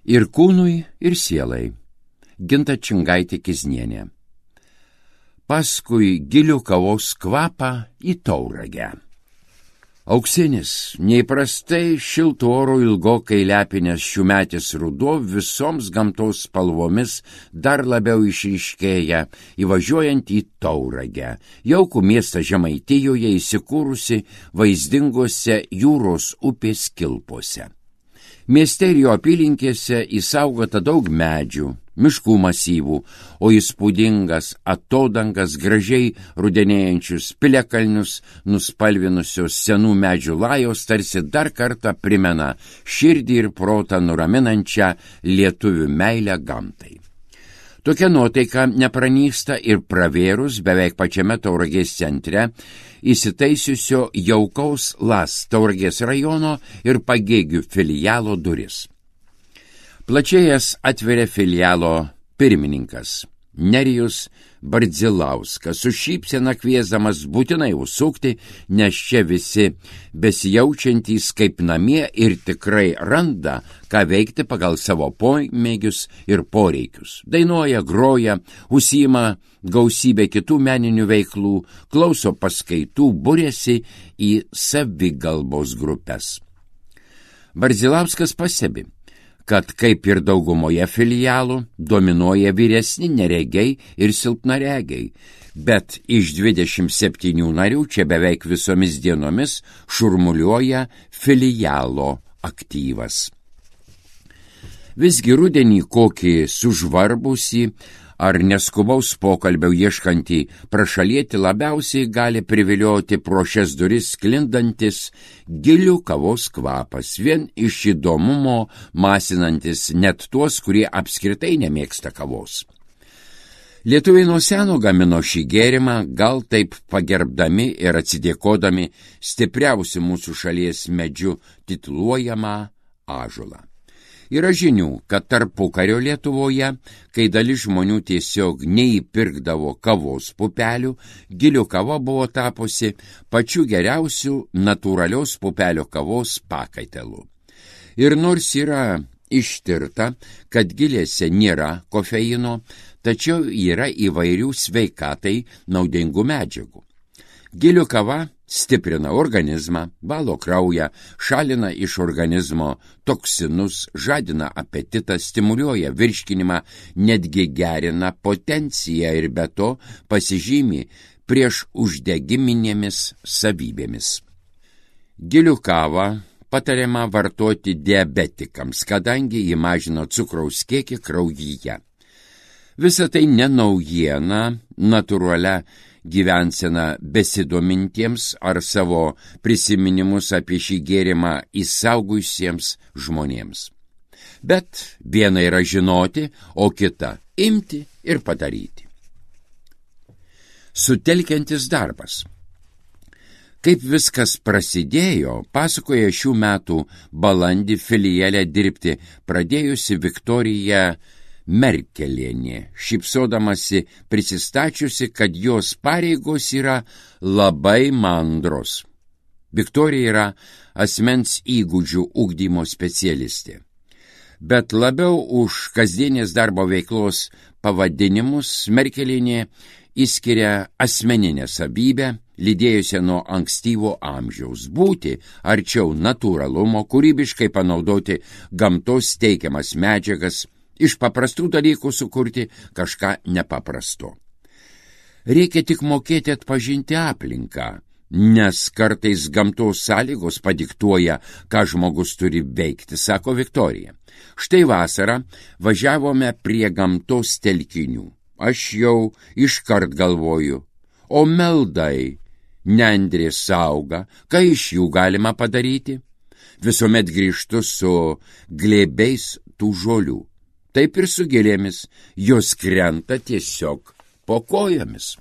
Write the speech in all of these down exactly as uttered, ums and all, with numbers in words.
Ir kūnui, ir sielai. Ginta Čingaitė Kiznienė. Paskui gilių kavos kvapą į Tauragę. Auksinis, neįprastai šiltų oro ilgokai lepinės šiųmetis ruduo visoms gamtos spalvomis dar labiau išryškėja, įvažiuojant į Tauragę, jaukų miestą Žemaitijoje įsikūrusi vaizdingose jūros upės kilpose. Mieste ir jo apylinkėse įsaugota daug medžių, miškų masyvų, o įspūdingas atodangas gražiai rudenėjančius piliakalnius nuspalvinusios senų medžių lajos tarsi dar kartą primena širdį ir protą nuraminančią lietuvių meilę gamtai. Tokia nuotaika nepranyksta ir pravėrus beveik pačiame Tauragės centre įsitaisiusio jaukaus Las Tauragės rajono ir Pagėgių filialo duris. Plačiai jas atveria filialo pirmininkas Nerijus Bardzilauskas, su šypsena kviesdamas būtinai užsukti, nes čia visi besijaučiantys kaip namie ir tikrai randa, ką veikti pagal savo pomėgius ir poreikius. Dainuoja, groja, užsiima gausybę kitų meninių veiklų, klauso paskaitų, buriasi į savigalbos grupes. Bardzilauskas pastebi, kad kaip ir daugumoje filialų dominuoja vyresni neregiai ir silpnaregiai, bet iš dvidešimt septynių narių čia beveik visomis dienomis šurmuliuoja filialo aktyvas. Visgi rudenį kokį sužvarbusį ar neskubaus pokalbio ieškantį prašalietį labiausiai gali privilioti pro šias duris sklindantis gilių kavos kvapas, vien iš įdomumo masinantis net tuos, kurie apskritai nemėgsta kavos. Lietuviai nuo seno gamino šį gėrimą, gal taip pagerbdami ir atsidėkodami stipriausių mūsų šalies medžių tituluojamą ąžuolą. Yra žinių, kad tarpukario Lietuvoje, kai dalis žmonių tiesiog neįpirkdavo kavos pupelių, gilių kava buvo tapusi pačiu geriausiu natūralios pupelio kavos pakaitalu. Ir nors yra ištirta, kad gilėse nėra kofeino, tačiau yra įvairių sveikatai naudingų medžiagų. Gilių kava stiprina organizmą, valo kraują, šalina iš organizmo toksinus, žadina apetitą, stimuliuoja virškinimą, netgi gerina potenciją ir be to pasižymi prieš uždegiminėmis savybėmis. Gilių kavą patariama vartoti diabetikams, kadangi ji mažina cukraus kiekį kraujyje. Visa tai ne naujiena, natūralia gyvensena besidomintiems ar savo prisiminimus apie šį gėrimą įsaugusiems žmonėms. Bet viena yra žinoti, o kita imti ir padaryti. Sutelkiantis darbas. Kaip viskas prasidėjo, pasakoja šių metų balandį filiale dirbti pradėjusi Viktorija Merkelienė, šypsodamasi prisistačiusi, kad jos pareigos yra labai mandros. Viktorija yra asmens įgūdžių ugdymo specialistė. Bet labiau už kasdienės darbo veiklos pavadinimus Merkelienė išskiria asmeninę savybę, lydėjusią nuo ankstyvo amžiaus, būti arčiau natūralumo, kūrybiškai panaudoti gamtos teikiamas medžiagas, iš paprastų dalykų sukurti kažką nepaprasto. Reikia tik mokėti atpažinti aplinką, nes kartais gamtos sąlygos padiktuoja, ką žmogus turi veikti, sako Viktorija. Štai vasarą važiavome prie gamtos telkinių. Aš jau iškart galvoju, o meldai, nendrės auga, ką iš jų galima padaryti? Visuomet grįžtu su glėbiais tų žolių. Taip ir su gėlėmis, jos krenta tiesiog po kojomis.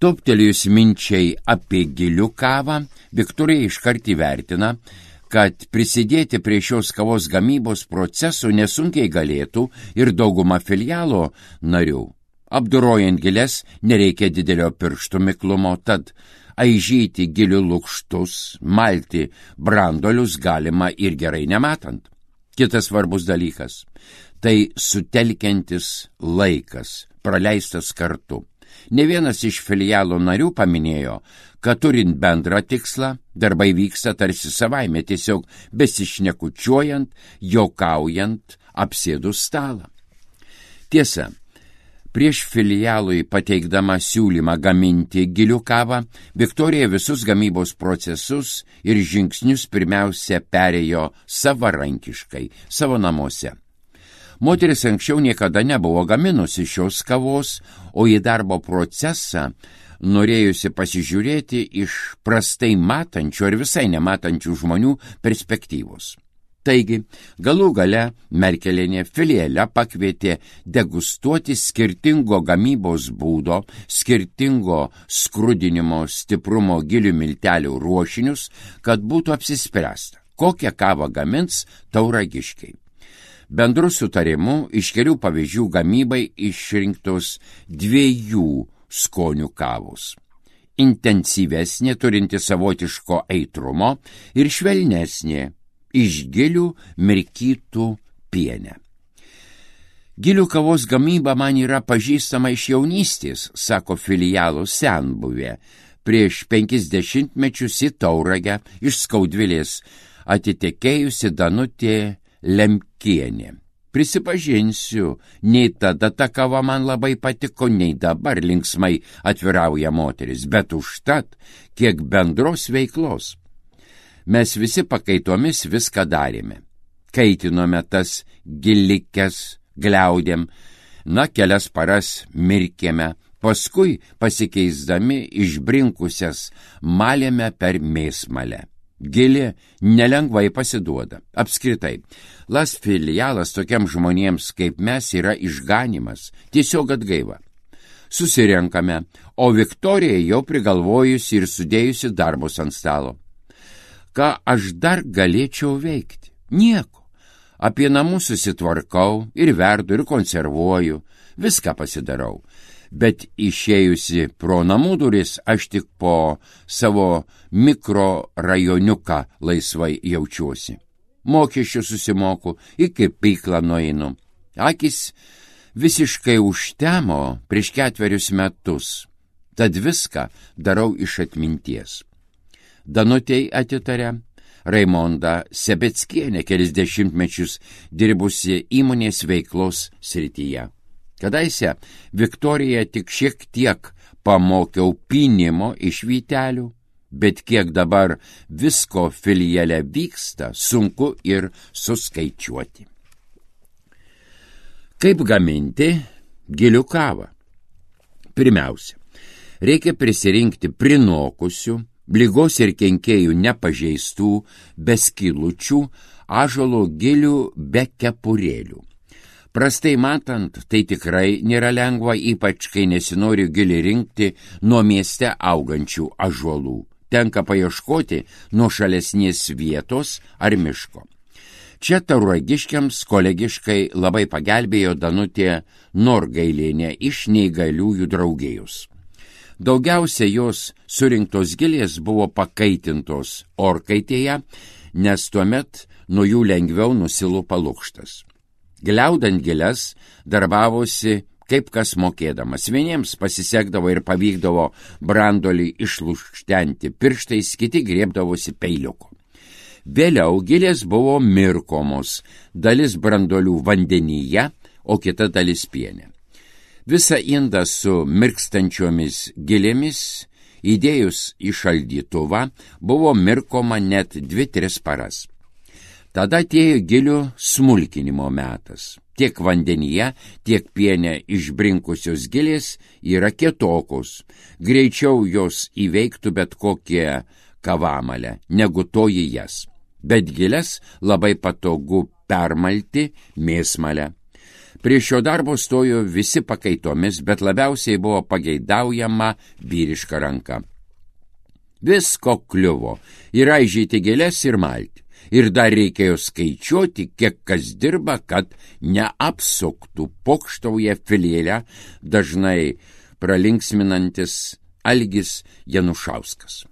Toptelėjus minčiai apie gilių kavą, Viktorija iškart įvertina, kad prisidėti prie šios kavos gamybos procesų nesunkiai galėtų ir dauguma filialo narių. Apdorojant gėles nereikia didelio pirštų miklumo, tad aižyti gilių lukštus, malti brandolius galima ir gerai nematant. Kitas svarbus dalykas – tai sutelkiantis laikas, praleistas kartu. Ne vienas iš filialo narių paminėjo, kad turint bendrą tikslą, darbai vyksta tarsi savaime, tiesiog besišnekučiuojant, juokaujant, apsėdus stalą. Tiesa, prieš filialui pateikdama siūlymą gaminti gilių kavą, Viktorija visus gamybos procesus ir žingsnius pirmiausia perėjo savarankiškai, savo namuose. Moteris anksčiau niekada nebuvo gaminusi šios kavos, o į darbo procesą norėjusi pasižiūrėti iš prastai matančių ar visai nematančių žmonių perspektyvos. Taigi, galų gale Merkelienė filiale pakvietė degustuoti skirtingo gamybos būdo, skirtingo skrudinimo stiprumo gilių miltelių ruošinius, kad būtų apsispręsta, kokią kavą gamins Tauragiškiai. Bendru sutarimu iš kelių pavyzdžių gamybai išrinktos dviejų skonių kavos. Intensyvesnė, turinti savotiško aitrumo, ir švelnesnė, iš gilių mirkytų piene. Gilių kavos gamyba man yra pažįstama iš jaunystės, sako filialo senbuvė. Prieš penkis dešimtmečius į Tauragę iš Skaudvilės atitekėjusi Danutė Lemkienė. Prisipažinsiu, nei tada ta kava man labai patiko, nei dabar linksmai atvirauja moteris, bet užtat kiek bendros veiklos. Mes visi pakaitomis viską darėme. Kaitinome tas gilikes, gliaudėm, na, kelias paras mirkėme, paskui pasikeisdami išbrinkusias malėme per mėsmalę. Gili nelengvai pasiduoda. Apskritai, Las filialas tokiam žmonėms kaip mes yra išganimas, tiesiog atgaiva. Susirenkame, o Viktorija jau prigalvojusi ir sudėjusi darbus ant stalo. Ką aš dar galėčiau veikti? Nieko. Apie namus susitvarkau ir verdu ir konservuoju, viską pasidarau. Bet išėjusi pro namų duris aš tik po savo mikrorajoniuką laisvai jaučiuosi. Mokesčių susimoku, iki pyklą nueinu. Akis visiškai užtemo prieš ketverius metus, tad viską darau iš atminties. Danutei atitarė Raimonda Sebeckienė, kelis dešimtmečius dirbusi įmonės veiklos srityje. Kadaise Viktorija tik šiek tiek pamokiau pynimo iš vytelių, bet kiek dabar visko filiale vyksta, sunku ir suskaičiuoti. Kaip gaminti gilių kavą? Pirmiausia, reikia prisirinkti prinokusių, ligos ir kenkėjų nepažeistų, be skylučių, ąžuolo gilių be kepurėlių. Prastai matant, tai tikrai nėra lengva, ypač kai nesinori gilį rinkti nuo mieste augančių ąžuolų. Tenka paieškoti nuošalesnės vietos ar miško. Čia tauragiškiams kolegiškai labai pagelbėjo Danutė Norgailienė iš neįgaliųjų draugijos. Daugiausia jos surinktos gilės buvo pakaitintos orkaitėje, nes tuomet nuo jų lengviau nusilupa lukštas. Gliaudant gilias darbavosi kaip kas mokėdamas. Vieniems pasisekdavo ir pavykdavo brandolį išlukštenti pirštais, kiti griebdavosi peiliuku. Vėliau gilės buvo mirkomos, dalis brandolių vandenyje, o kita dalis piene. Visa indą su mirkstančiomis gilėmis, įdėjus į šaldytuvą, buvo mirkoma net dvi tris paras. Tada atėjo gilių smulkinimo metas. Tiek vandenyje, tiek piene išbrinkusios gilės yra kietokos. Greičiau jos įveiktų bet kokie kavamalę, negu toji jas. Bet gilės labai patogu permalti mėsmalę. Prie šio darbo stojo visi pakaitomis, bet labiausiai buvo pageidaujama vyriška ranka. Visko kliuvo ir aižyti gėlės ir malti. Ir dar reikėjo skaičiuoti, kiek kas dirba, kad neapsuktų, pokštauja filiale dažnai pralinksminantis Algis Janušauskas.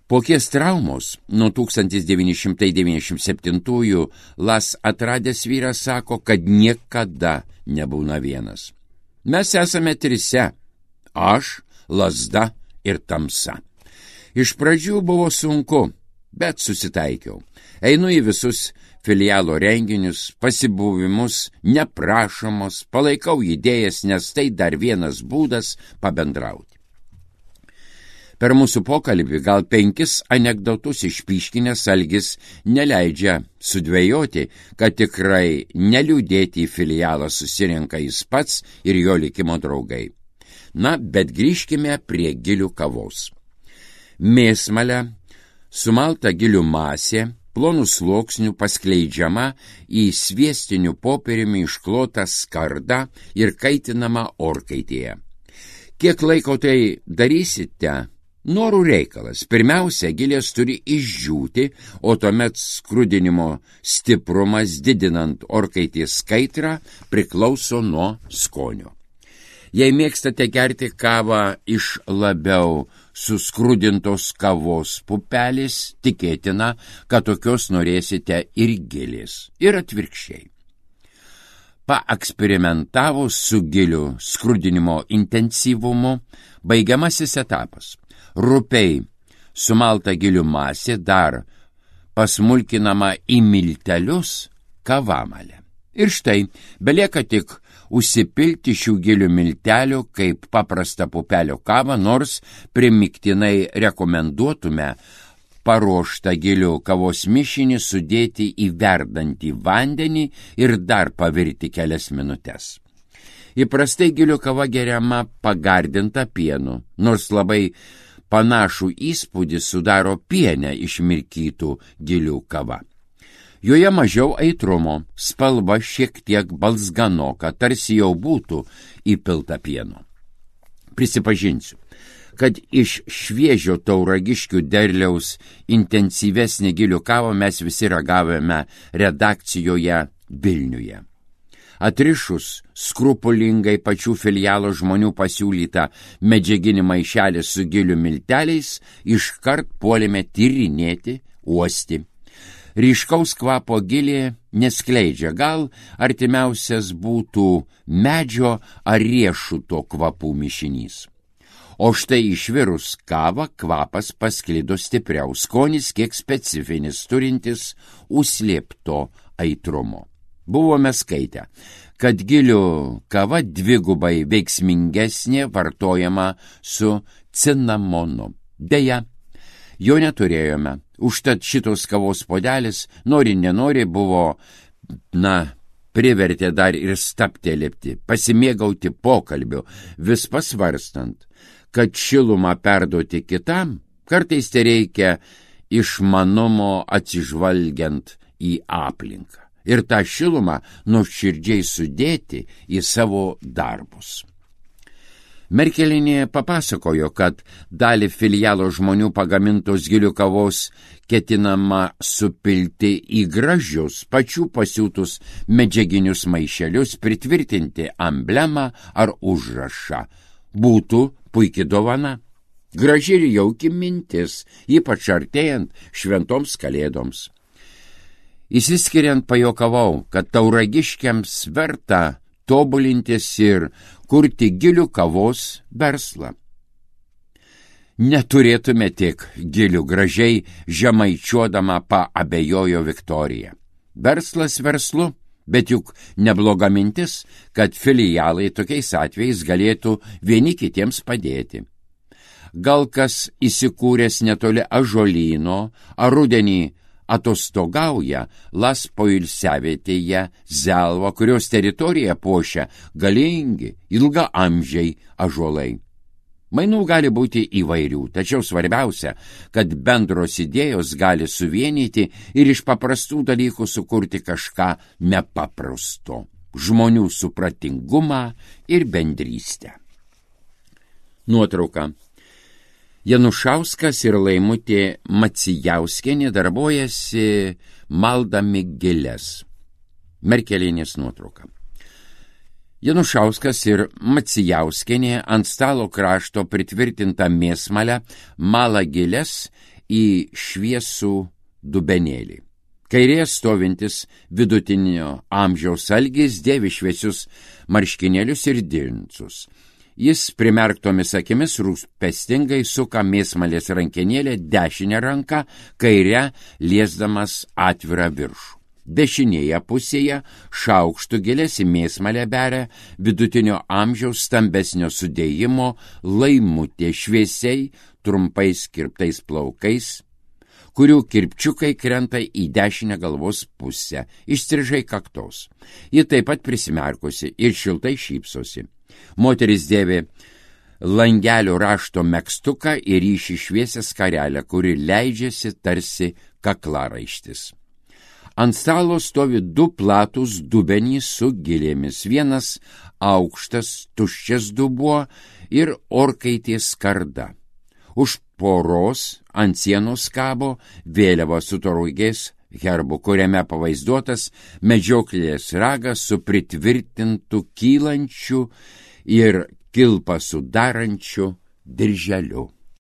Po kies traumos nuo tūkstantis devyni šimtai devyniasdešimt septintųjų Las atradęs vyras sako, kad niekada nebūna vienas. Mes esame trise – aš, lazda ir tamsa. Iš pradžių buvo sunku, bet susitaikiau. Einu į visus filialo renginius, pasibuvimus, neprašomos, palaikau idėjas, nes tai dar vienas būdas pabendrauti. Per mūsų pokalbį gal penkis anekdotus išpyškinęs Algis neleidžia sudvejoti, kad tikrai neliūdėti į filialą susirenka jis pats ir jo likimo draugai. Na, bet grįžkime prie gilių kavos. Mėsmalė, sumalta gilių masė, plonų sluoksnių paskleidžiama į sviestinių popieriumi išklotą skardą ir kaitinama orkaitėje. Kiek laiko tai darysite? Norų reikalas. Pirmiausia, gilės turi išdžiūti, o tuomet skrudinimo stiprumas, didinant orkaitės kaitrą, priklauso nuo skonio. Jei mėgstate gerti kavą iš labiau suskrudintos kavos pupelės, tikėtina, kad tokios norėsite ir gilės, ir atvirkščiai. Paeksperimentavus su gilių skrudinimo intensyvumu, baigiamasis etapas. Rupiai sumalta gilių masė dar pasmulkinama į miltelius kavamalę. Ir štai, belieka tik užsipilti šių gilių miltelių kaip paprastą pupelio kavą, nors primiktinai rekomenduotume paruoštą gilių kavos mišinį sudėti į verdantį vandenį ir dar pavirti kelias minutes. Įprastai gilių kava geriama pagardinta pienu, nors labai panašų įspūdį sudaro piene išmirkytų gilių kava. Joje mažiau aitrumo, spalva šiek tiek balzganoka, tarsi jau būtų įpilta pieno. Prisipažinsiu, kad iš šviežio tauragiškių derliaus intensyvesnį gilių kavą mes visi ragavome redakcijoje Vilniuje. Atrišus skrupulingai pačių filialo žmonių pasiūlytą medžiaginį maišelį su gilių milteliais, iškart puolėme tyrinėti, uosti. Ryškaus kvapo gilė neskleidžia, gal artimiausias būtų medžio ar riešuto kvapų mišinys. O štai išvirus kavą kvapas pasklido stipriau, skonis kiek specifinis, turintis užslėpto aitrumo. Buvome skaitę, kad gilių kava dvigubai veiksmingesnė vartojama su cinamonu. Deja, jo neturėjome, užtat šitos kavos puodelis, nori nenori, buvo, na, privertė dar ir staptelėpti, pasimėgauti pokalbiu, vis pasvarstant, kad šilumą perduoti kitam, kartais tai reikia išmanumo atsižvalgiant į aplinką. Ir tą šilumą nuoširdžiai sudėti į savo darbus. Merkelinė papasakojo, kad dalį filialo žmonių pagamintos gilių kavos ketinama supilti į gražius, pačių pasiūtus medžiaginius maišelius, pritvirtinti emblemą ar užrašą. Būtų puikia dovana. Graži ir jauki mintis, ypač artėjant šventoms kalėdoms. Įsiskiriant pajokavau, kad tauragiškiams verta tobulintis ir kurti gilių kavos verslą. Neturėtume tik gilių, gražiai žemaičiuodama paabejojo Viktorija. Verslas verslu, bet juk nebloga mintis, kad filialai tokiais atvejais galėtų vieni kitiems padėti. Gal kas įsikūręs netoli ąžuolyno, ar rudenį atostogauja Las poilsiavietėje Zelva, kurios teritoriją puošia galingi, ilgaamžiai ąžuolai. Mainų gali būti įvairių, tačiau svarbiausia, kad bendros idėjos gali suvienyti ir iš paprastų dalykų sukurti kažką nepaprasto, žmonių supratingumą ir bendrystę. Nuotrauka. Janušauskas ir Laimutė Macijauskienė darbuojasi maldami gėles. Merkelinės nuotrauka. Janušauskas ir Macijauskienė ant stalo krašto pritvirtintą mėsmalę mala gėles į šviesų dubenėlį. Kairėje stovintis vidutinio amžiaus algis dėvi šviesius marškinėlius ir džinsus. Jis primerktomis akimis rūpestingai suka mėsmalės rankenėlę dešinę ranką, kairę liesdamas atvirą viršų. Dešinėje pusėje šaukštų gilės į mėsmalę beria vidutinio amžiaus stambesnio sudėjimo laimutė šviesiai trumpais kirptais plaukais, kurių kirpčiukai krenta į dešinę galvos pusę, išstrižai kaktos. Ji taip pat prisimerkusi ir šiltai šypsosi. Moteris dėvi langelio rašto megztuką ir ryši šviesią skarelę, kuri leidžiasi tarsi kaklaraištis. Ant stalo stovi du platūs dubenys su gilėmis, vienas aukštas, tuščias dubuo ir orkaitės skarda. Už poros ant sienos kabo vėliava su taurugės herbu, kuriame pavaizduotas medžioklės ragas su pritvirtintu kylančiu ir kilpą sudarančiu dirželiu.